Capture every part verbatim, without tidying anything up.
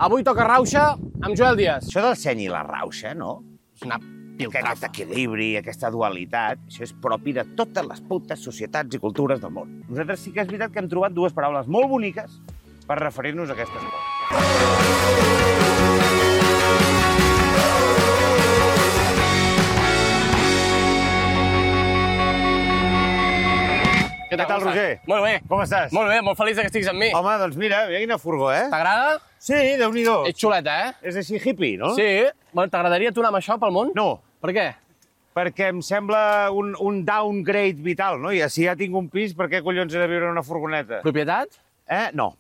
Avui toca rauxa amb Joel Díaz. Això del seny i la rauxa, no? És una Que piltrafa. aquest equilibri, aquesta dualitat, això és propi de totes les putes societats i cultures del món. Nosaltres sí que és veritat que hem trobat dues paraules molt boniques per referir-nos a aquestes coses. Què Què tal, com Roger? estàs? Molt bé. Com estàs? Molt bé, molt feliç que estiguis amb mi. Home, doncs mira, mira quina furgó, eh? T'agrada? Sí, Déu-n'hi-do. Ets xuleta, eh? És així hippie, no? Sí. Bueno, t'agradaria tu anar amb això pel món? No, Per què? perquè em sembla un, un downgrade vital, no? I si ja tinc un pis, per què collons he de viure en una furgoneta? Propietat? Eh? No.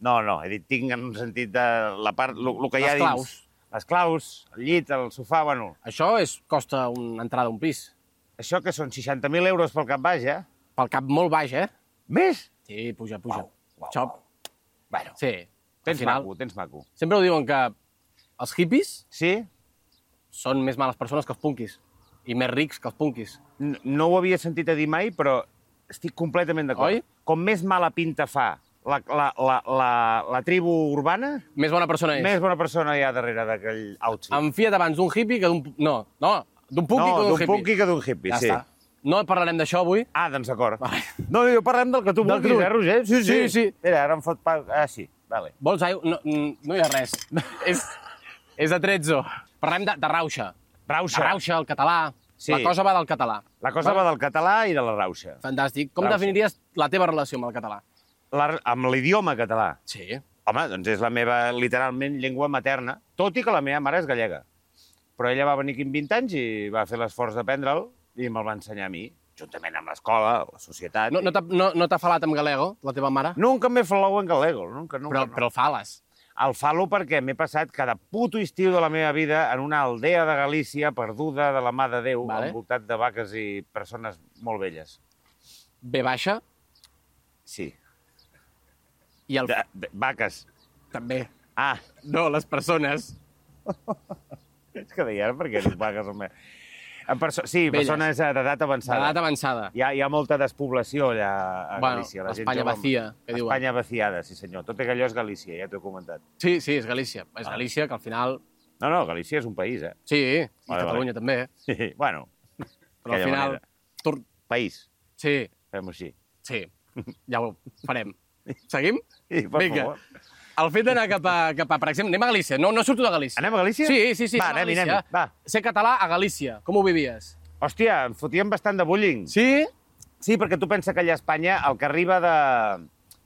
No, no, he dit tinc en un sentit de la part, el que hi ha Les dins. claus. Les claus, el llit, el sofà, bueno... Això és, costa una entrada a un pis. Això que són seixanta mil euros pel cap baix, eh? Pel cap molt baix, eh? Més? Sí, puja, puja. Uau, uau, Això, Bueno, sí. Al tens final, maco, tens maco. sempre ho diuen que els hippies Sí? són més males persones que els punkis. I més rics que els punkis. N- No ho havia sentit a dir mai, però estic completament d'acord. Oi? Com més mala pinta fa la, la, la, la, la tribu urbana, Més bona persona és. més bona persona hi ha darrere d'aquell outfit. Em fia't abans d'un hippie que d'un... No, no, d'un punky no, que d'un d'un hippie. punky que d'un hippie, Ja sí. està. No parlarem d'això avui. Ah, doncs d'acord. Vale. No, jo parlem del que tu Del vulguis, que tu- eh, Roger? Sí, Sí, sí. Mira, ara em fot... Pa... Ah, sí, vale. Vols aigua? No, no hi ha res. és, és de trezzo. Parlem de, de rauxa. Rauxa. La rauxa, el català. Sí. La cosa va del català. La cosa va del català i de la rauxa. Fantàstic. Com Rauxa. definiries la teva relació amb el català? La, amb l'idioma català. Sí. Home, doncs és la meva, literalment, llengua materna, tot i que la meva mare és gallega. Però ella va venir aquí amb vint anys i va fer l'esforç d'aprendre'l i me'l va ensenyar a mi, juntament amb l'escola, la societat... No, no t'ha no, no t'ha falat amb galego, la teva mare? Nunca m'he falado en galego, nunca, nunca. Però, no. però el fales. El falo perquè m'he passat cada puto estiu de la meva vida en una aldea de Galícia perduda de la mà de Déu, Vale. envoltat de vaques i persones molt velles. B baixa Sí. i el... De, de, vaques. També. Ah, No, les persones. és que deia, per què dius vaques, home? En perso sí, Velles. persones d'edat avançada. D'edat avançada. Hi ha, hi ha molta despoblació allà a Bueno, Galícia. La gent l'Espanya jove- vacía, que diuen. Espanya vaciada, sí senyor. Tot allò és Galícia, ja t'ho he comentat. Sí, sí, és Galícia. És Ah. Galícia, que al final... No, no, Galícia és un país, eh? Sí, i Vale, Catalunya també. Sí, bueno, Però al Aquella final... manera. Tor... país, Sí, fem-ho així. sí, ja ho farem. Seguim? Sí, per Vinga. favor. El fet d'anar cap, a, cap a... Per exemple, anem a Galícia. No, no surto de Galícia. Anem a Galícia? Sí, sí, sí. Va, anem a anem-hi, Galícia. anem-hi, va. Ser català a Galícia. Com ho vivies? Hòstia, em fotíem bastant de bullying. Sí? Sí, perquè tu pensa que allà a Espanya, el que arriba de...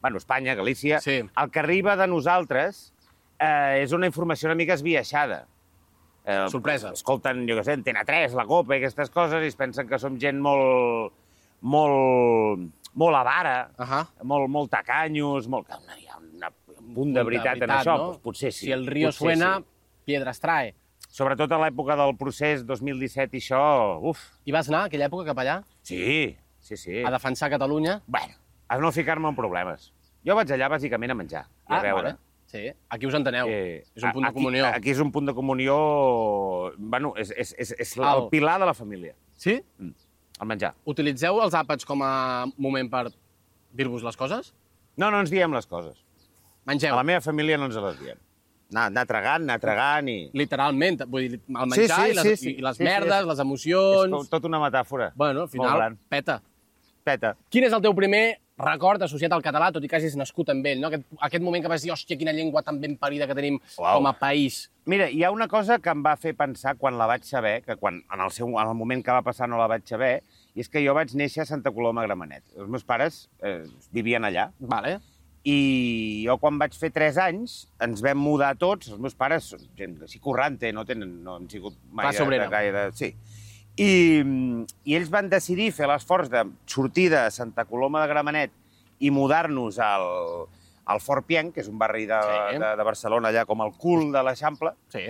Bueno, Espanya, Galícia, Sí. el que arriba de nosaltres eh, és una informació una mica esbiaixada. Eh, Sorpresa. Escolten, jo què sé, Antena tres, la Copa i aquestes coses i es pensen que som gent molt... molt... molt avara, Ahà. molt, molt tacanyos, molt... que Hi ha una, un punt de veritat, en això, doncs potser sí. Si el río potser suena, sí. piedras trae. Sobretot a l'època del procés dos mil disset i això, uf, I vas anar aquella època cap allà sí, sí, sí. a defensar Catalunya? Bueno, a no ficar-me en problemes. Jo vaig allà bàsicament a menjar i a veure. vale. Sí, aquí us enteneu. Eh, és un punt de aquí- comunió. Aquí és un punt de comunió... Bueno, és, és, és, és la- Alt. el pilar de la família, Sí? el menjar. Utilitzeu els àpats com a moment per dir-vos les coses? No, no ens diem les coses. Mengeu. A la meva família no ens les diem. Anar, anar tragant, anar tragant i... Literalment, vull dir, el Sí, menjar sí, i, les, sí, sí. i les Sí, sí, merdes, és- les És emocions... com tot una metàfora. Bueno, al Molt final, gran. peta. Peta. Quin és el teu primer record associat al català, tot i que hagis nascut amb ell, no? Aquest, aquest moment que vas dir, hòstia, quina llengua tan ben parida que tenim Uau. com a país. Mira, hi ha una cosa que em va fer pensar quan la vaig saber, que quan, en, el seu, en el moment que va passar no la vaig saber, i és que jo vaig néixer a Santa Coloma de Gramenet. Els meus pares eh, vivien allà, Vale. i jo quan vaig fer tres anys ens vam mudar tots, els meus pares són gent així corrente, no, tenen, no han sigut mai Classe de, obrera. de gaire... Sí. I, I ells van decidir fer l'esforç de sortir de Santa Coloma de Gramenet i mudar-nos al, al Fort Pienc, que és un barri de, Sí. de, de Barcelona, allà com el cul de l'Eixample, Sí.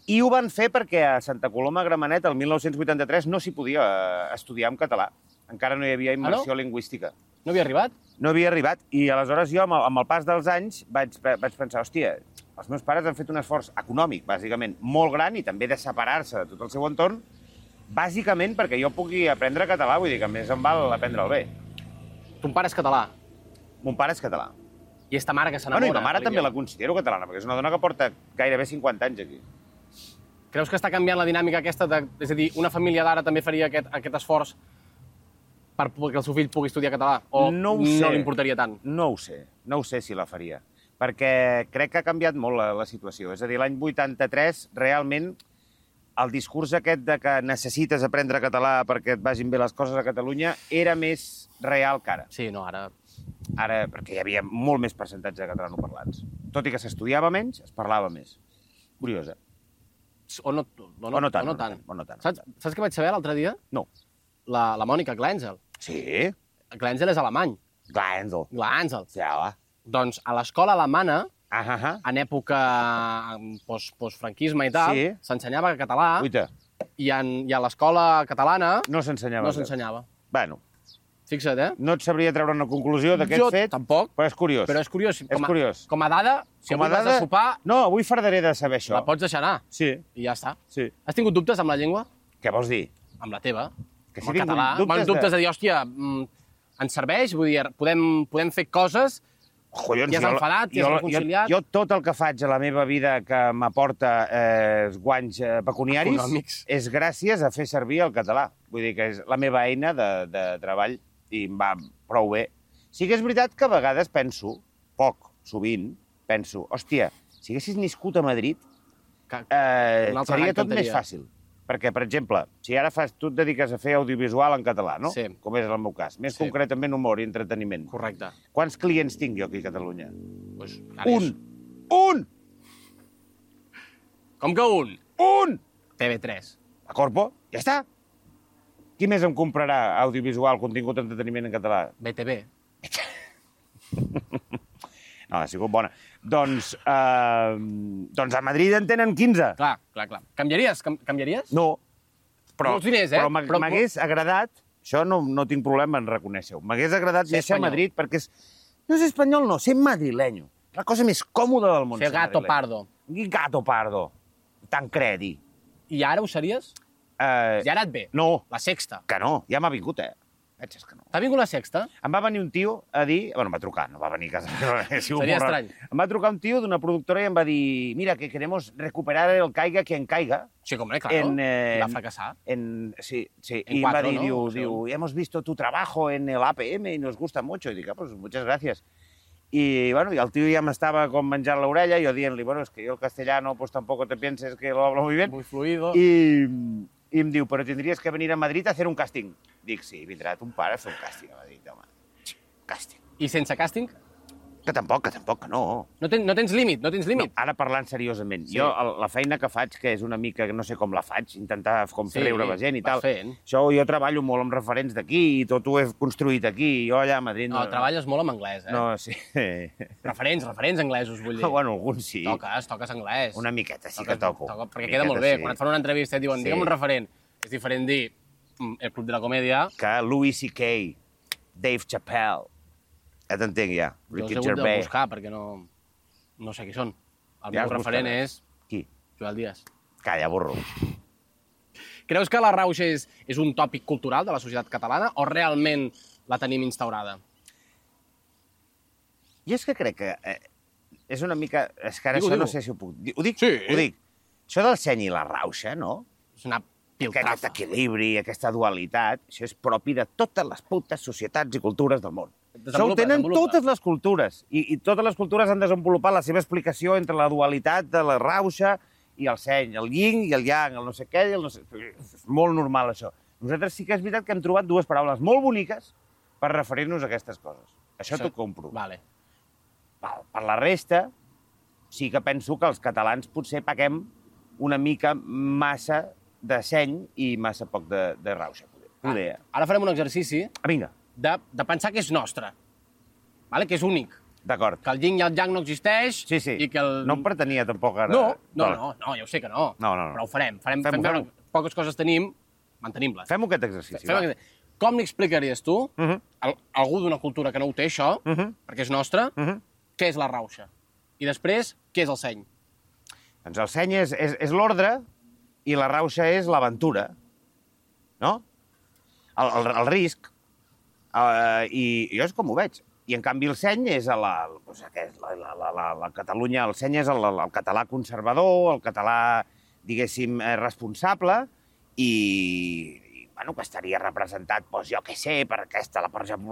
i ho van fer perquè a Santa Coloma de Gramenet, el mil nou-cents vuitanta-tres, no s'hi podia eh, estudiar en català. Encara no hi havia immersió lingüística. No havia arribat? No havia arribat. I aleshores jo, amb el, amb el pas dels anys, vaig, vaig pensar, hòstia, els meus pares han fet un esforç econòmic, bàsicament, molt gran, i també de separar-se de tot el seu entorn, bàsicament perquè jo pugui aprendre català, vull dir que a més em val aprendre'l bé. Ton pare és català. Mon pare és català. I esta mare que s'enamora. Bueno, i ma mare de també la l'idioma. considero catalana, perquè és una dona que porta gairebé cinquanta anys aquí. Creus que està canviant la dinàmica aquesta? De, és a dir, una família d'ara també faria aquest, aquest esforç per que el seu fill pugui estudiar català? O No ho sé. no li importaria tant? No ho sé, no ho sé si la faria, perquè crec que ha canviat molt la, la situació. És a dir, l'any vuitanta-tres, realment, el discurs aquest de que necessites aprendre català perquè et vagin bé les coses a Catalunya era més real que ara. Sí, no, ara... Ara, perquè hi havia molt més percentatge de catalanoparlants. Tot i que s'estudiava menys, es parlava més. Curiosa. O no, o no, O no tant, o no o no tant. tant, o no tant. Saps, saps què vaig saber l'altre dia? No. La, la Mònica Glenzel. Sí? Glenzel és alemany. Glàndol. Glenzel. Ja, va. Doncs a l'escola alemana, Ah, ah, ah. en època post, postfranquisme i tal, Sí. s'ensenyava català, Uita, i, en, i a l'escola catalana no s'ensenyava. no això. s'ensenyava. Bueno, Fixa't, eh? no et sabria treure una conclusió d'aquest Jo fet, tampoc, però és curiós. però és curiós. Com a, curiós. Com a dada, si Com a avui vas dada- a sopar, No, avui fardaré de saber això. la pots deixar anar. Sí, I ja està. sí. Has tingut dubtes amb la llengua? Què vols dir? Amb la teva? Que si amb el tinc català? dubtes Bueno, de- dubtes de dir, hòstia, mm, ens serveix? Vull dir, podem, podem fer coses... Collons, I has jo- enfadat, i has jo- reconciliat. Jo, jo tot el que faig a la meva vida que m'aporta eh, guanys eh, pecuniaris Econòmics. és gràcies a fer servir el català. Vull dir que és la meva eina de, de treball i em va prou bé. Sí que és veritat que a vegades penso, poc, sovint, penso, hòstia, si haguessis nascut a Madrid, Que, eh, Una altra seria gran tot més cantaria. fàcil. Perquè, per exemple, si ara fas, tu et dediques a fer audiovisual en català, no? Sí. Com és el meu cas. Més Sí. concretament humor i entreteniment. Correcte. Quants clients tinc jo aquí a Catalunya? Pues, ara és- Un! Un! Com que un? Un! T V tres. A Corpo, ja està. Qui més em comprarà audiovisual, contingut d'entreteniment en català? B T V. No, ha sigut bona. Doncs, eh, doncs a Madrid en tenen quinze. Clar, clar, clar. Canviaries? Cam canviaries? No, però, Molts diners, eh? però m'ha- Però- m'hagués agradat, això no, no tinc problema en reconèixer-ho, m'hagués agradat Ser néixer a espanyol. Madrid perquè és, no és espanyol, no, ser madrilenyo. La cosa més còmoda del món. Ser gato madrilenyo. pardo. I gato pardo. Tan credi. I ara ho series? Eh, I ara et ve. No, La sexta. que no, ja m'ha vingut, eh? Veig és que no. T'ha vingut la sexta? Em va venir un tio a dir... Bueno, em va trucar, no va venir a casa meva. ha sigut Seria molt rar. estrany. Em va trucar un tio d'una productora i em va dir mira, que queremos recuperar el caiga quien caiga. Sí, hombre, claro. En, eh, Va fracassar. En, sí, sí. En y cuatro, me va a decir, ¿no? diu, O sea, diu, hemos visto tu trabajo en el A P M y nos gusta mucho. Y dic, ah, pues muchas gracias. I, bueno, i el tio ja m'estava com menjant l'orella, i jo dient-li, bueno, es que yo el castellano, pues tampoco te pienses que lo hablo muy bien. Muy fluido. I, I em diu, però tindries que venir a Madrid a hacer un casting. Dic, sí, vindrà ton pare a fer un casting a Madrid, home. Casting. I sense càsting? Que tampoc, que tampoc, que no. No, ten, no tens límit, no tens No, límit. ara parlant seriosament, Sí. jo el, la feina que faig, que és una mica, no sé com la faig, intentar com Sí, fer riure la gent i vas tal. fent. Això jo treballo molt amb referents d'aquí i tot ho he construït aquí. Jo allà a Madrid... No, treballes molt amb anglès, eh? No, sí. Referents, referents anglesos, vull dir. Bueno, alguns sí. Toques, toques anglès. Una miqueta sí Toques- que toco. toco, perquè Una queda molt miqueta bé. sí. Quan et fan una entrevista i et diuen, Sí. digue'm un referent, és diferent dir mm, el Club de la Comèdia. Que Louis C K, Dave Chappelle, ja t'entenc ja, Jo Ricky els he hagut de Gervais. buscar perquè no, no sé qui són. El Ja meu els referent buscaràs. és Qui? Joel Díaz. Calla, burro. Creus que la rauxa és, és un tòpic cultural de la societat catalana o realment la tenim instaurada? Jo és que crec que eh, és una mica... És que ara Digue-ho, això no digue-ho. sé si ho puc dir. Ho dic? Sí. Ho dic. Això del seny i la rauxa, no? És una Que aquest piltrafa. equilibri, aquesta dualitat, això és propi de totes les putes societats i cultures del món. Això ho Desenvolupa, tenen desenvolupa. totes les cultures. I, I totes les cultures han desenvolupat la seva explicació entre la dualitat de la rauxa i el seny, el yin i el yang, el no sé què i el no sé... És molt normal, això. Nosaltres sí que és veritat que hem trobat dues paraules molt boniques per referir-nos a aquestes coses. Això t'ho compro. Vale. Per, per la resta, sí que penso que els catalans potser paguem una mica massa de seny i massa poc de, de rauxa. Poder. Ah, ara farem un exercici Ah, vinga, de, de pensar que és nostre, vale? Que és únic, d'acord. que el yin i el yang no existeix Sí, sí. i que el... No em pretenia tampoc ara... No, no, Vale. no, no, ja ho sé que no. No, no, no. Però ho farem. farem Fem-ho, fem veure fem-ho. que poques coses tenim, mantenim-les. Fem aquest exercici, Fem va. aquest- Com li explicaries tu, Uh -huh. a algú d'una cultura que no ho té, això, Uh -huh. perquè és nostre, Uh -huh. què és la rauxa? I després, què és el seny? Doncs el seny és, és, és l'ordre i la rauxa és l'aventura, no? El, el, el risc. Uh, I jo és com ho veig. I, en canvi, el seny és a la, doncs, aquest, la, la, la, la, la Catalunya, el seny és el, el català conservador, el català, diguéssim, eh, responsable, i, i bueno, que estaria representat, doncs, jo què sé, per aquesta, la,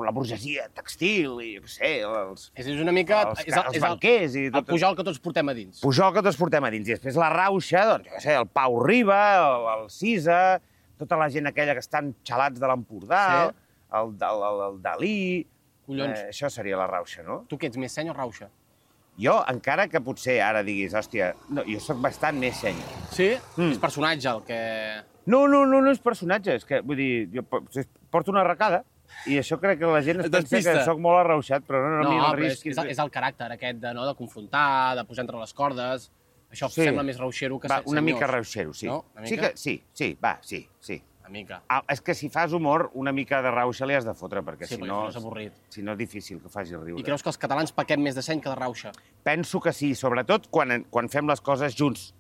la burgesia textil, i jo què sé, els, És una mica... els, és el, els és el, banquers... I el Pujol que tots portem a dins. Pujol que tots portem a dins. I després la rauxa, doncs, jo què sé, el Pau Riba, el, el Cisa, tota la gent aquella que estan xalats de l'Empordà, Sí. el, el, el, el Dalí... Collons. Eh, això seria la rauxa, no? Tu què ets, més seny o rauxa? Jo, encara que potser ara diguis, hòstia, no, jo sóc bastant més seny. Sí? Mm. És personatge el que... No, no, no, no és personatge, és que, vull dir, jo po- porto una arracada i això crec que la gent es Et pensa despista. que sóc molt arrauxat, però no, no, No, no, no però és, risquis. és, el, és el caràcter aquest de, no, de confrontar, de posar entre les cordes. Això Sí. sembla més rauxero que Va, se- una senyors. mica rauxero, sí. No? Una Sí mica? que, sí, sí, va, sí, sí. Una mica. Ah, és que si fas humor, una mica de rauxa li has de fotre, perquè Sí, si perquè no, si no és avorrit. si no és difícil que faci riure. I creus que els catalans pequem més de seny que de rauxa? Penso que sí, sobretot quan, quan fem les coses junts.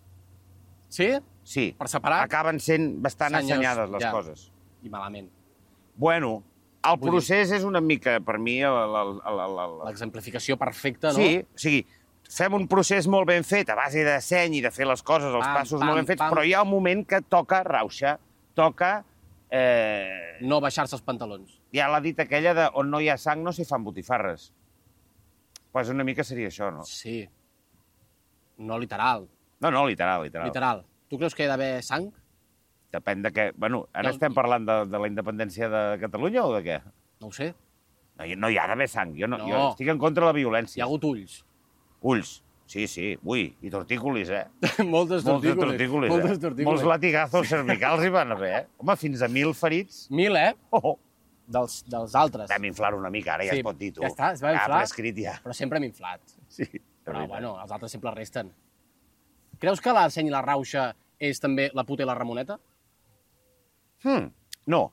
Sí? Sí. Per separat? Acaben sent bastant Senyors, assenyades les ja. coses. I malament. Bueno, el Vull procés és una mica, per mi, el, el, el, el, el, L'exemplificació perfecta, no? Sí, o sigui, fem un procés molt ben fet, a base de seny i de fer les coses, els Pam, passos pam, molt ben fets, pam. però hi ha un moment que toca rauxa, toca... Eh, No baixar-se els pantalons. hi ha la dita aquella de on no hi ha sang no s'hi fan botifarres. Pues una mica seria això, no? Sí. No literal. No, no, literal, literal. Literal. Tu creus que hi ha d'haver sang? Depèn de què... Bueno, ara No. estem parlant de, de la independència de Catalunya o de què? No ho sé. No, hi- no hi ha d'haver sang. Jo, no, No. jo estic en contra de la Hi violència. ha hagut ulls. Ulls. Sí, sí. Ui, i tortícolis, eh? Moltes Moltes tortícolis. tortícolis, Moltes eh? tortícolis. Molts latigazos cervicals hi van haver, eh? Home, fins a mil ferits. Mil, eh? Oh, oh. Dels, dels altres. Vam inflar una mica, ara ja Sí, es pot dir, tu. ja està, es va Ja, inflar. prescrit, ja. Però sempre hem inflat. Sí. Però, bueno, els altres sempre resten. Creus que la seny i la rauxa és també la puta i la Ramoneta? Hmm, no.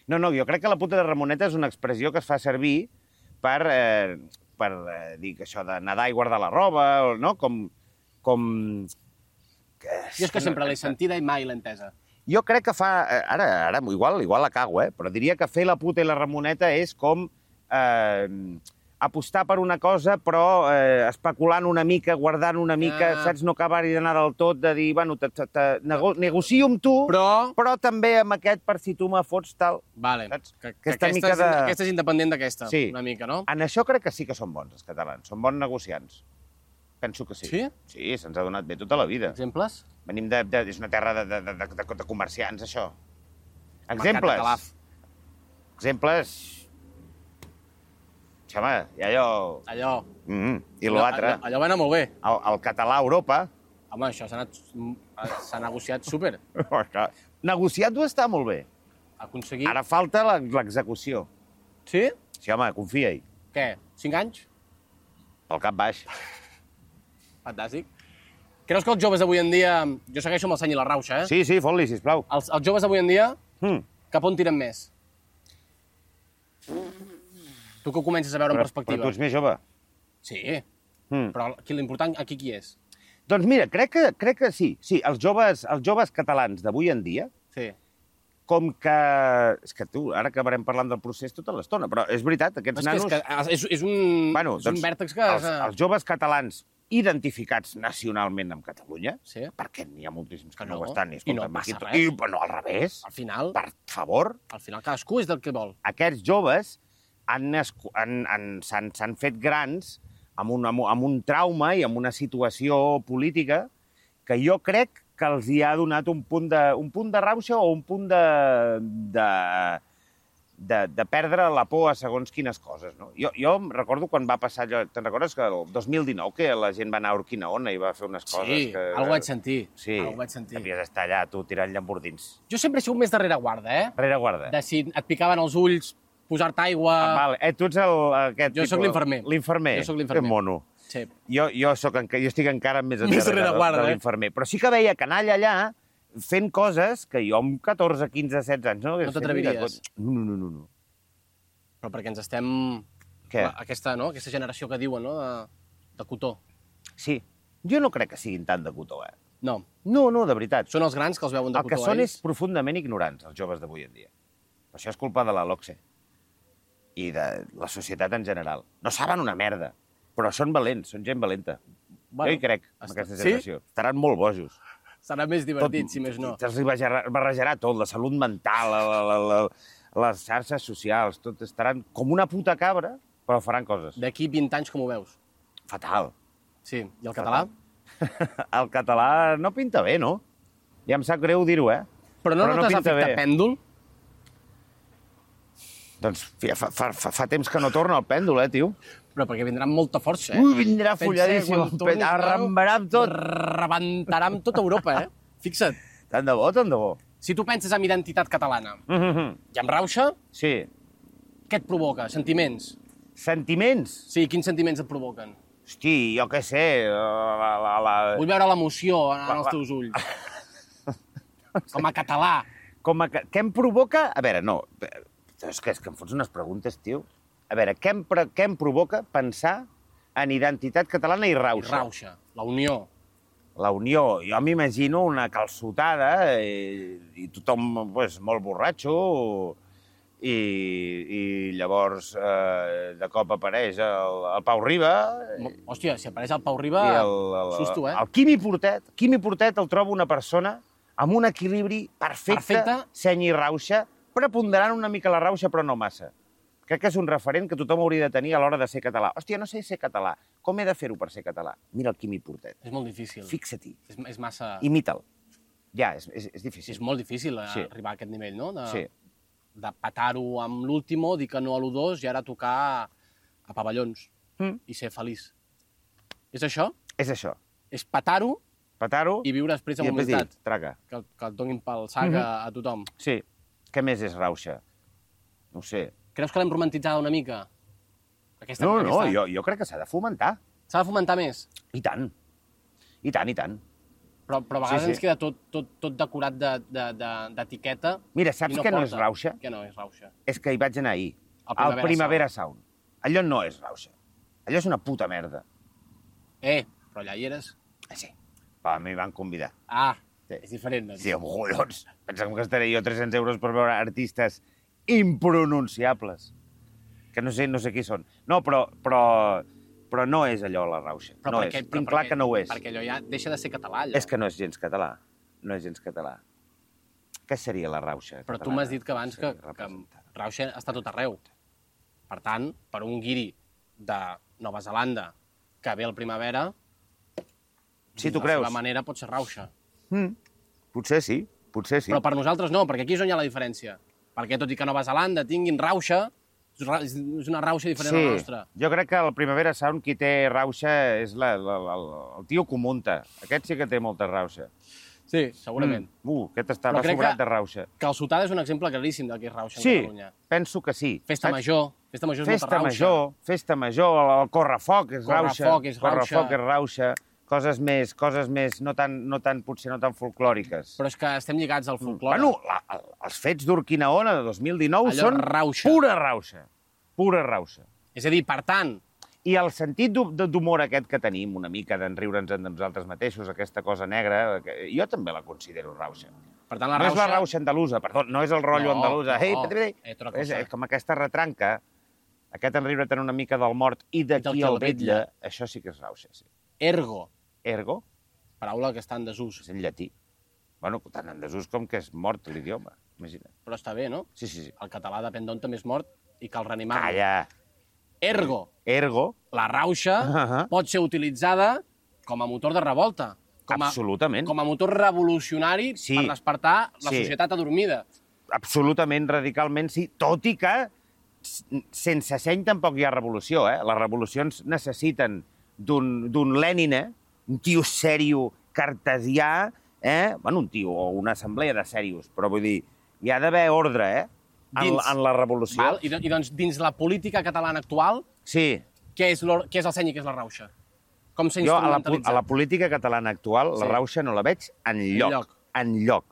No, no, jo crec que la puta de Ramoneta és una expressió que es fa servir per, eh, per eh, dir que això de nedar i guardar la roba, o, no? Com... com... Que, Jo és que sempre l'he sentida i mai l'he entesa. Jo crec que fa... eh, Ara, ara igual, igual la cago, eh? Però diria que fer la puta i la Ramoneta és com eh, apostar per una cosa, però eh, especulant una mica, guardant una mica, Ah. saps? No acabar-hi d'anar del tot, de dir, bueno, te, te, te, nego, negocio amb tu, Però... però també amb aquest per si tu me fots tal. Vale. Saps? Que, que Aquesta aquesta, mica és, de- aquesta és independent d'aquesta, Sí. una mica, no? En això crec que sí que són bons, els catalans. Són bons negociants. Penso que sí. Sí? Sí, se'ns ha donat bé tota la vida. Exemples? Venim de... de és una terra de, de, de, de, de comerciants, això. Mercat de Exemples. Calaf. Exemples... Home, hi ha allò... Allò... Mm -hmm. I l'altre, Allò, allò va anar molt bé. el, el català a Europa... Home, això s'ha anat... s'ha negociat súper. Negociat-ho està molt bé. Aconseguir... Ara falta la- l'execució. Sí? Sí, home, confia-hi. Què? Cinc anys? Pel cap baix. Fantàstic. Creus que els joves d'avui en dia... Jo segueixo amb el seny i la rauxa, eh? Sí, sí, fot-li, sisplau. Els, els joves d'avui en dia, Mm. cap on tiren més? Tu que ho comences a veure Però, en perspectiva. però tu ets més jove. Sí, Mm. però aquí l'important aquí qui és? Doncs mira, crec que, crec que sí. Sí, els joves, els joves catalans d'avui en dia, Sí. com que... És que tu, ara acabarem parlant del procés tota l'estona, però és veritat, aquests És, que nanos... és, que és, és un, bueno, és un doncs, vèrtex que... els, els joves catalans identificats nacionalment amb Catalunya, Sí. perquè n'hi ha moltíssims que, Que no, no, ho estan. i escolta'm, no aquí passa to- res. I, bueno, al revés, Al final, per favor, al final cadascú és del que vol. aquests joves han, nascu- han, han, s'han, s'han fet grans amb un, amb, un- amb un trauma i amb una situació política que jo crec que els hi ha donat un punt de, un punt de rauxa o un punt de, de, de, de perdre la por a segons quines coses. No? Jo, jo em recordo quan va passar allò... Te'n recordes que el dos mil dinou que la gent va anar a Urquinaona i va fer unes coses Sí, que... algo vaig sentir. Sí, Algo vaig sentir. havies d'estar allà, tu, tirant llambordins. Jo sempre he sigut més darrere guarda, eh? Rere guarda. De si et picaven els ulls, posar-te aigua... Ah, vale. Eh, tu ets el, aquest Jo tipus... sóc l'infermer. L'infermer. Jo sóc l'infermer. Que mono. Sí. Jo, jo, soc, enca- jo estic encara més Més endarrere de, rereguarda, de eh? l'infermer. Però sí que veia canalla allà fent coses que jo amb catorze, quinze, setze anys no hagués No fet t'atreviries? ni de cot- No, no, no, no, no. Però perquè ens estem... Què? Aquesta, no? Aquesta generació que diuen, no? De, de cotó. Sí. Jo no crec que siguin tant de cotó, eh? No, No, no, de veritat. són els grans que els veuen de El que cotó són a és ells. profundament ignorants, els joves d'avui en dia. Per això és culpa de la LOCSE. i de la societat en general. No saben una merda, però són valents, són gent valenta. Bueno, jo hi crec, en aquesta generació. Sí? Estaran molt bojos. Serà més divertit, tot, si més no. Els barrejarà, barrejarà tot, la salut mental, la, la, la, la, les xarxes socials, tot estaran com una puta cabra, però faran coses. D'aquí vint anys com ho veus? Fatal. Sí, i el català? El català no pinta bé, no? Ja em sap greu dir-ho, eh? Però no, però no notes no efecte pèndol? Doncs fa, fa, fa, fa temps que no torna el pèndol, eh, tio? Però perquè vindrà amb molta força, eh? Ui, vindrà folladíssim, arrambarà amb tot. Rebentarà amb tota Europa, eh? Fixa't. Tant de bo, tant de bo. Si tu penses en identitat catalana mm-hmm. i amb rauxa, sí. Què et provoca? Sentiments? Sentiments? Sí, quins sentiments et provoquen? Hosti, jo què sé... La, la, la... Vull veure l'emoció en la, els teus ulls. Com a català. Com a... Què em provoca? A veure, no... És que, és que em fots unes preguntes, tio. A veure, què em, què em provoca pensar en identitat catalana i rauxa? I rauxa, la unió. La unió. Jo m'imagino una calçotada i, i tothom pues, molt borratxo i, i llavors eh, de cop apareix el, el Pau Riba. Hòstia, si apareix el Pau Riba, el, el, susto, eh? El Quimi Portet. Quimi Portet el trobo una persona amb un equilibri perfecte, perfecte. Seny i rauxa, preponderant una mica la rauxa, però no massa. Crec que és un referent que tothom hauria de tenir a l'hora de ser català. Hòstia, no sé ser català. Com he de fer-ho per ser català? Mira el Quimi Portet. És molt difícil. Fixa-t'hi. És, és massa... Imita'l. Ja, és, és, és difícil. És molt difícil sí. arribar a aquest nivell, no? De, sí. De petar-ho amb l'último, dir que no a l'u dos i ara tocar a pavellons mm. i ser feliç. És això? És això. És petar-ho petar-ho i viure després amb humilitat. Traga. Que, que et donin pel sac mm -hmm. a tothom. Sí. Què més és rauxa? No ho sé. Creus que l'hem romantitzada una mica? Aquesta, no, aquesta... no, jo, jo crec que s'ha de fomentar. S'ha de fomentar més? I tant. I tant, i tant. Però, però a vegades sí, sí. ens queda tot, tot, tot decorat d'etiqueta. De, de, Mira, saps no què porta. no és rauxa? Què no és rauxa? És que hi vaig anar ahir. El Primavera, al Primavera Sound. Sound. Allò no és rauxa. Allò és una puta merda. Eh, però allà hi eres. Ah, sí. Però a mi van convidar. Ah, sí. És diferent, doncs. Sí, amb collons. Pensem que estaré jo tres-cents euros per veure artistes impronunciables. Que no sé, no sé qui són. No, però, però, però no és allò la rauxa. Però no perquè, és. però Tinc clar perquè, que no ho és. Perquè allò ja deixa de ser català, allò. És que no és gens català. No és gens català. Què seria la rauxa Però catalana? Tu m'has dit que abans que, que rauxa està tot arreu. Per tant, per un guiri de Nova Zelanda que ve al Primavera, sí, tu de creus? la seva manera pot ser rauxa. Mm. Potser sí, potser sí. Però per nosaltres no, perquè aquí és on hi ha la diferència. Perquè tot i que Nova Zelanda tinguin rauxa, és una rauxa diferent sí, a la nostra. Jo crec que al Primavera Sound qui té rauxa és la, la, la, el tio Comunta. Aquest sí que té molta rauxa. Sí, segurament. Mm. Uh, aquest estava sobrat de rauxa. Que el Sotada és un exemple claríssim del que és rauxa sí, en Catalunya. Sí, penso que sí. Festa Saps? Major. Festa Major és festa molta rauxa. Major, festa Major, el Correfoc és rauxa. Correfoc és rauxa. Correfoc és rauxa. Coses més, coses més, no tan, no tan, potser no tan folclòriques. Però és que estem lligats al folclore. Bueno, la, els fets d'Urquinaona de dos mil dinou allò són rauxa. Pura rauxa. Pura rauxa. És a dir, per tant... I el sentit d'humor aquest que tenim, una mica d'enriure'ns de nosaltres mateixos, aquesta cosa negra, que jo també la considero rauxa. Per tant, la no rauxa... és la rauxa andalusa, perdó, no és el rotllo no, andalusa. No, hey, no, hey, hey. És com aquesta retranca, aquest enriure't una mica del mort i d'aquí el vetlla, això sí que és rauxa, sí. Ergo. Ergo? Paraula que està en desús. És en llatí. Bueno, tant en desús com que és mort l'idioma, imagina't. Però està bé, no? Sí, sí, sí. El català depèn d'on també és mort i cal reanimar-lo. Calla! Ergo. Ergo. La rauxa uh -huh. pot ser utilitzada com a motor de revolta. Com a, absolutament. Com a motor revolucionari sí. per despertar la sí. societat adormida. Absolutament, radicalment, sí. Tot i que sense seny tampoc hi ha revolució, eh? Les revolucions necessiten d'un Lènin, eh? Un tio sèrio, cartesià, eh? Bueno, un tio o una assemblea de serios, però vull dir, hi ha d'haver ordre, eh? En, dins, en la revolució. Val? I, I doncs, dins la política catalana actual, sí. què és, què és el seny i què és la rauxa? Com s'ha jo, a la, instrumentalitzat? a la política catalana actual, sí. La rauxa no la veig enlloc. Enlloc.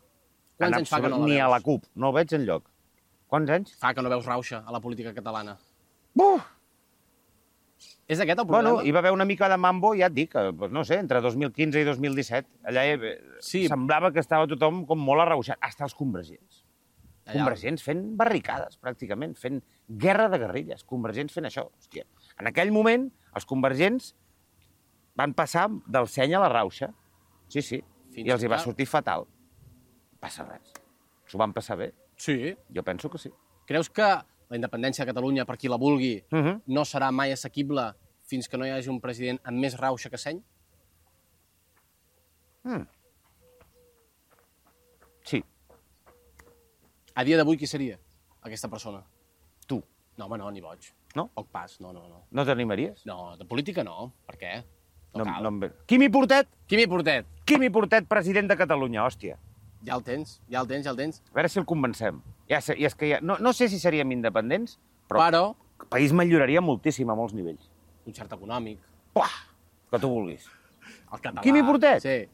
Quants anys fa que no la Ni veus? a la CUP, no la veig enlloc. Quants anys? Fa que no veus rauxa a la política catalana. Buf! És aquest el problema? Bueno, hi va haver una mica de mambo, ja et dic, no sé, entre dos mil quinze i dos mil disset. Allà sí. Semblava que estava tothom com molt arrauxat, hasta els convergents. Convergents fent barricades, pràcticament, fent guerra de guerrilles, convergents fent això. Hòstia. En aquell moment, els convergents van passar del seny a la rauxa. Sí, sí. Fins I els hi va sortir fatal. No passa res. S'ho van passar bé. Sí. Jo penso que sí. Creus que la independència de Catalunya, per qui la vulgui, Uh -huh. no serà mai assequible fins que no hi hagi un president amb més rauxa que seny? Mm. Sí. A dia d'avui, qui seria aquesta persona? Tu. No, home, no, ni boig. No? Poc pas, no, no, no. No t'animaries? No, de política no. Per què? No, No, cal. no em ve. Quimi Portet? Quimi Portet. Quimi Portet, president de Catalunya, hòstia. Ja el tens, ja el tens, ja el tens. A veure si el convencem. Ja, sé- i és que ja, no, no sé si seríem independents, però, Però, el país milloraria moltíssim a molts nivells. concert econòmic, Uah, que tu vulguis. el català... Quimi Portet? Sí.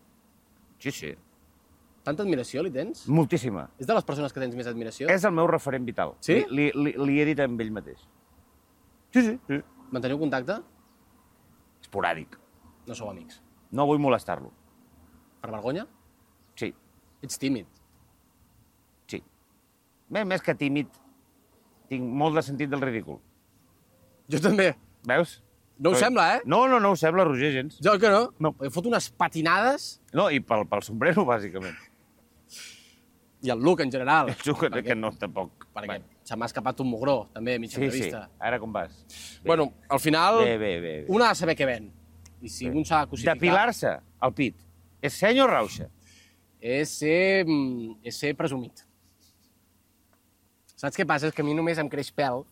Sí, sí. Tanta admiració li tens? Moltíssima. És de les persones que tens més admiració? És el meu referent vital. Sí? Li, li, li he dit amb ell mateix. Sí, sí, sí. Manteniu contacte? Esporàdic. No sou amics. No vull molestar-lo. Per vergonya? Sí, Ets tímid. sí. Bé, més que tímid, tinc molt de sentit del ridícul. Jo també. Veus? No ho Però- sembla, eh? No, no, no ho sembla, Roger, gens. Jo que no. No. He fot unes patinades No, i pel, pel sombrero, bàsicament. i el look en general. Penso que, que no, tampoc. Perquè se m'ha escapat un mugró, també, a mitja Sí, sí. entrevista. Ara com vas? Bé. Bueno, al final, Bé, bé, bé. bé. un ha de saber què ven. I si un s'ha de cosificar... Depilar-se al pit. És seny o rauxa? És ser, mm, és ser presumit. Saps què passa? És que a mi només em creix pèl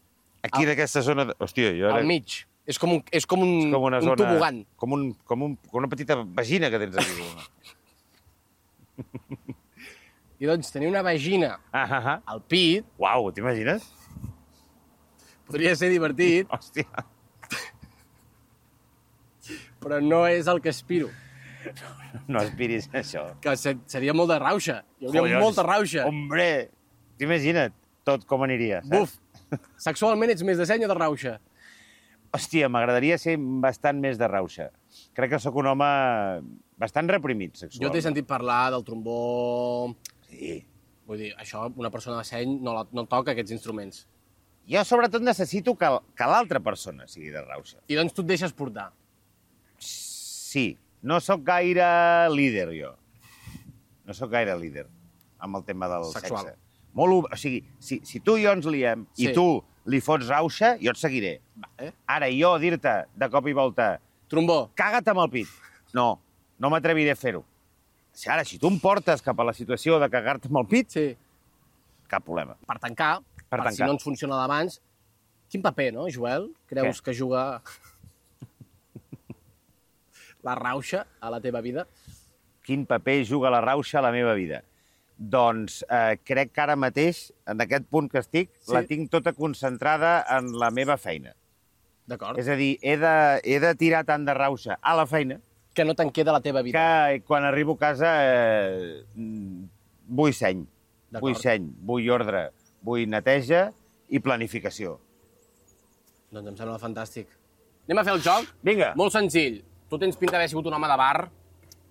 Aquí d'aquesta zona... De... Hòstia, jo ara... al mig. És com un, és com un, És com una un zona... tobogan. Com, un, com, un, com una petita vagina que tens aquí. I doncs tenir una vagina ah, ah, ah. al pit Uau, t'imagines? podria ser divertit, Hòstia. però no és el que aspiro. No aspiris a això. Que se- seria molt de rauxa. Hi hauria Collons. molta rauxa. Hombre, t'imagina't tot com aniria, saps? Buf! Sexualment ets més de seny o de rauxa? Hòstia, m'agradaria ser bastant més de rauxa. Crec que sóc un home bastant reprimit Jo sexualment. t'he sentit parlar del trombó... Sí. Vull dir, això, una persona de seny no, la, no toca aquests instruments. Jo, sobretot, necessito que, que l'altra persona sigui de rauxa. I doncs tu et deixes portar. Sí. No sóc gaire líder, jo. No sóc gaire líder amb el tema del Sexual. sexe. Molt, ob- o sigui, si, si tu i jo ens liem Sí. i tu li fots rauxa, jo et seguiré. Vale. Ara, jo dir-te de cop i volta Trombó. caga't amb el pit. No, no m'atreviré a fer-ho. Si ara, si tu em portes cap a la situació de cagar-te amb el pit, Sí. cap problema. Per tancar, Per per, si tancar. no ens funciona d'abans, quin paper, no, Joel? Creus Què? que juga la rauxa a la teva vida? Quin paper juga la rauxa a la meva vida? Doncs eh, crec que ara mateix, en aquest punt que estic, Sí. la tinc tota concentrada en la meva feina. D'acord. És a dir, he de, he de tirar tant de rauxa a la feina Que no te'n queda a la teva vida. que quan arribo a casa eh, mm, vull seny. D'acord. Vull seny, vull ordre, vull neteja i planificació. Doncs em sembla fantàstic. Anem a fer el joc? Vinga. Molt senzill. Tu tens pinta d'haver sigut un home de bar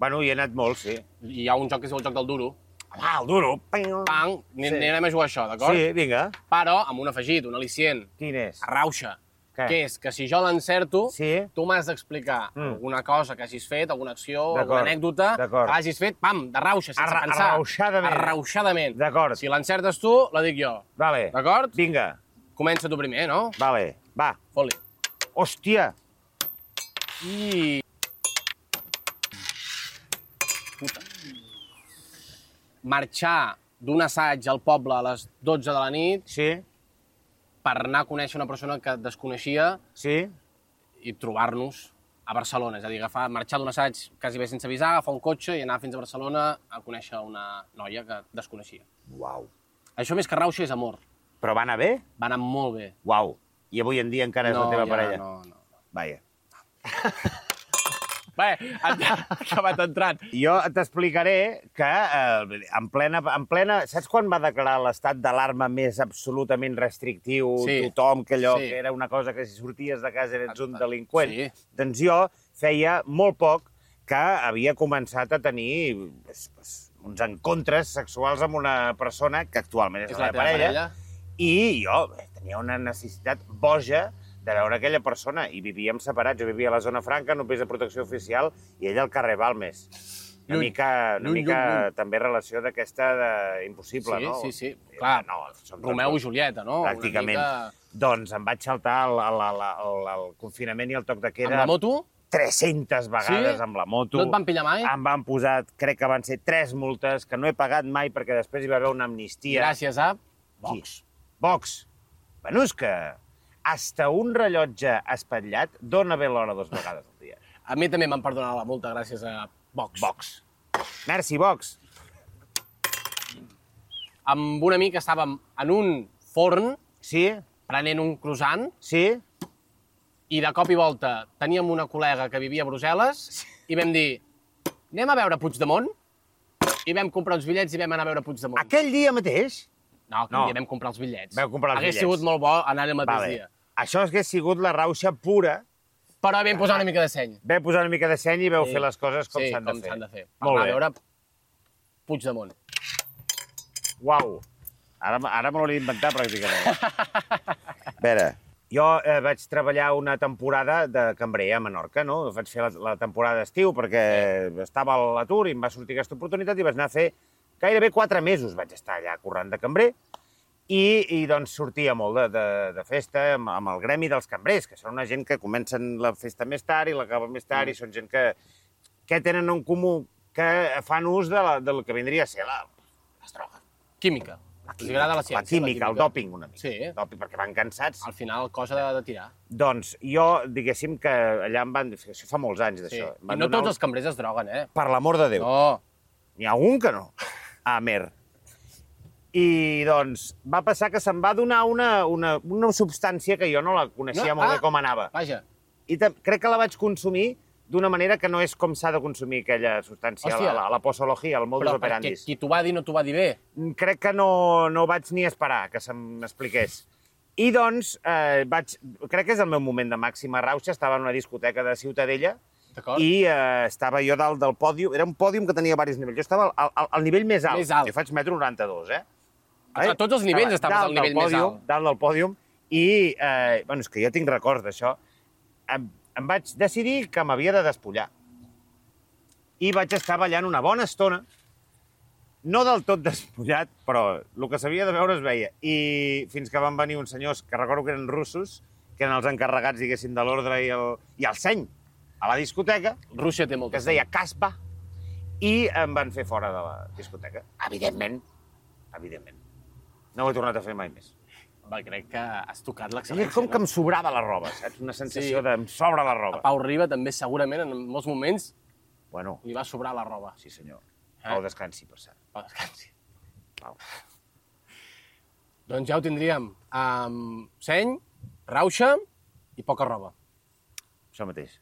Bueno, hi he anat molt, sí. i hi ha un joc que es diu el joc del duro. Ah, el duro. Pang, Sí. anem a jugar a això, d'acord? Sí, vinga. Però amb un afegit, un al·licient, Quin és? a rauxa. Què? Que és que si jo l'encerto, Sí. tu m'has d'explicar Mm. alguna cosa que hagis fet, alguna acció, D'acord, alguna anècdota d'acord. que hagis fet, pam, de rauxa, sense Arra- pensar. arrauxadament. Arrauxadament. D'acord. Si l'encertes tu, la dic jo. Vale. D'acord? Vinga. Comença tu primer, no? Vale. Va. Fot-li. Hòstia. I... Puta. Marxar d'un assaig al poble a les dotze de la nit Sí, per anar a conèixer una persona que et desconeixia sí. i trobar-nos a Barcelona. És a dir, agafar, marxar d'un assaig quasi bé sense avisar, agafar un cotxe i anar fins a Barcelona a conèixer una noia que desconeixia. Uau. Això més que rauxa és amor. Però va anar bé? Va anar molt bé. Uau. I avui en dia encara és no, la teva ja, parella? No, no. Vaja. Bé, ha acabat entrant. Jo t'explicaré que eh, en, plena, en plena... Saps quan va declarar l'estat d'alarma més absolutament restrictiu? Sí. Tothom, que allò Sí. que era una cosa que si sorties de casa eres un Exacte. delinqüent. Sí. Doncs jo feia molt poc que havia començat a tenir pues, pues, uns encontres sexuals amb una persona que actualment és, És la la meva teva parella, parella. i jo bé, tenia una necessitat boja de veure aquella persona, i vivíem separats. Jo vivia a la zona franca, en un pis de protecció oficial, i ell al carrer Balmes. Una Lluny. mica, una Lluny, mica lluny, lluny. també relació d'aquesta de... impossible, Sí, no? sí, sí. Eh, Clar, no, som Romeu i tots- Julieta, no? Pràcticament. Una mica... Doncs em vaig saltar el, el, el, el, el confinament i el toc de queda... Amb la moto? tres-centes vegades Sí? amb la moto. No et van pillar mai? Em van posar, crec que van ser tres multes, que no he pagat mai perquè després hi va haver una amnistia. Gràcies a Vox. Vox. Bueno, és que hasta un rellotge espatllat dona bé l'hora dues vegades al dia. A mi també m'han perdonat la multa gràcies a Vox. Vox. Merci, Vox. Amb un amic estàvem en un forn Sí? prenent un croissant Sí? i de cop i volta teníem una col·lega que vivia a Brussel·les i vam dir, anem a veure Puigdemont? I vam comprar uns bitllets i vam anar a veure Puigdemont. Aquell dia mateix? No, aquell No. dia vam comprar els bitllets. Vau comprar els Hagués bitllets. sigut molt bo anar el mateix Vale. dia. Això hagués sigut la rauxa pura. Però vam posar una mica de seny. Vau posar una mica de seny i vau Sí. fer les coses com sí, s'han de com fer. s'han de fer. Molt Vam bé. anar a veure Puigdemont. Uau. Ara, ara me l'hauria d'inventar, pràcticament. A veure, jo eh, vaig treballar una temporada de cambrer a Menorca, no? Vaig fer la, la temporada d'estiu perquè sí. estava a l'atur i em va sortir aquesta oportunitat i vaig anar a fer gairebé quatre mesos. Vaig estar allà currant de cambrer i, i doncs sortia molt de, de, de festa amb, amb el gremi dels cambrers, que són una gent que comencen la festa més tard i l'acaben més tard, mm. i són gent que, que tenen en comú que fan ús de la, del que vindria a ser la, les drogues. Química. La Els agrada la ciència. la química, el dòping una mica. Sí. Dòping, perquè van cansats. Al final, cosa de, de tirar. Doncs jo, diguéssim que allà em van... Això fa molts anys, Sí. d'això. I no tots els cambrers es droguen, eh? Per l'amor de Déu. No. N'hi ha algun que no. Amer. I, doncs, va passar que se'm va donar una, una, una substància que jo no la coneixia No? molt Ah. bé com anava. Vaja. I te, crec que la vaig consumir d'una manera que no és com s'ha de consumir aquella substància, Hòstia. la, la, la posologia, el modus Però perquè operandis. qui t'ho va dir no t'ho va dir bé. Crec que no, no vaig ni esperar que se'm expliqués. I doncs, eh, vaig, crec que és el meu moment de màxima rauxa, estava en una discoteca de Ciutadella D'acord? i eh, estava jo dalt del pòdium, era un pòdium que tenia diversos nivells, jo estava al, al, al nivell més alt, Més alt. jo faig metro noranta-dos, eh? A tots els nivells Estava estaves al dalt nivell del més pòdium, alt. Dalt del pòdium, i, eh, bueno, és que jo tinc records d'això, em, em vaig decidir que m'havia de despullar. I vaig estar ballant una bona estona, no del tot despullat, però el que s'havia de veure es veia. I fins que van venir uns senyors, que recordo que eren russos, que eren els encarregats, diguéssim, de l'ordre i, el, i el seny a la discoteca, Rússia té molt que es deia Caspa, i em van fer fora de la discoteca. Evidentment, evidentment. No ho he tornat a fer mai més. Va, crec que has tocat És l'excel·lència. com que no? em sobrava la roba, saps? Una sensació Sí. de em sobra la roba. Pau Riba també segurament en molts moments Bueno, li va sobrar la roba. sí senyor. Eh? Pau descansi, per cert. Pau, descansi. Pau. Doncs ja ho tindríem. Um, seny, rauxa i poca roba. Això mateix.